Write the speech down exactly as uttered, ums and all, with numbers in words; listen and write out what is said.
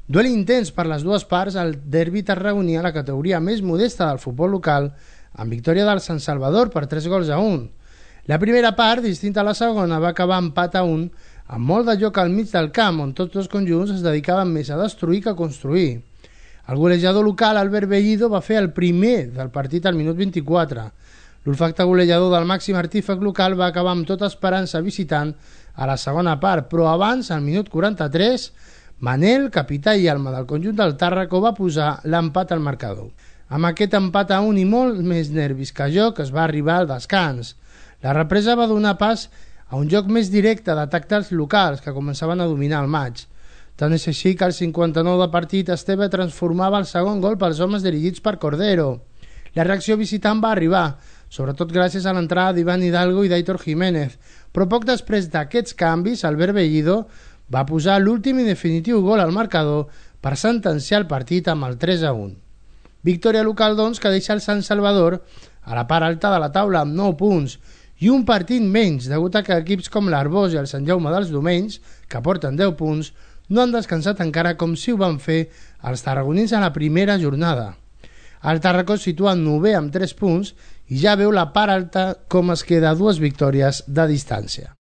Duel intens per les dues parts al derbi tarragoní a la categoria més modesta del futbol local, amb victòria del Sant Salvador per tres gols a un. La primera part, distinta a la segona, va acabar empat a un, amb molt de joc al mig del camp, on tots dos conjunts es dedicaven més a destruir que a construir. El golejador local, Albert Bellido, va fer el primer del partit al minut vint-i-quatre. L'olfacte golejador del màxim artífex local va acabar amb tota esperança visitant a la segona part, però abans, al minut quaranta-tres, Manel, capità i alma del conjunt del Tàrraco, va posar l'empat al marcador. Amb aquest empat a un i molt més nervis que joc es va arribar al descans. La represa va donar pas a un joc més directe d'atac dels locals que començaven a dominar el maig. Tant és així que al cinquanta-nou de partit Esteve transformava el segon gol pels homes dirigits per Cordero. La reacció visitant va arribar, sobretot gràcies a l'entrada d'Ivan Hidalgo i d'Aitor Jiménez, però poc després d'aquests canvis, Albert Bellido va posar l'últim i definitiu gol al marcador per sentenciar el partit amb el tres a un. Victòria local, doncs, que deixa el Sant Salvador a la part alta de la taula amb nou punts i un partit menys, degut a que equips com l'Arbós i el Sant Jaume dels Domenys, que porten deu punts, no han descansat encara com si ho van fer els tarragonins a la primera jornada. El Tàrraco es situa novè amb tres punts i ja veu la part alta com es queda dues victòries de distància.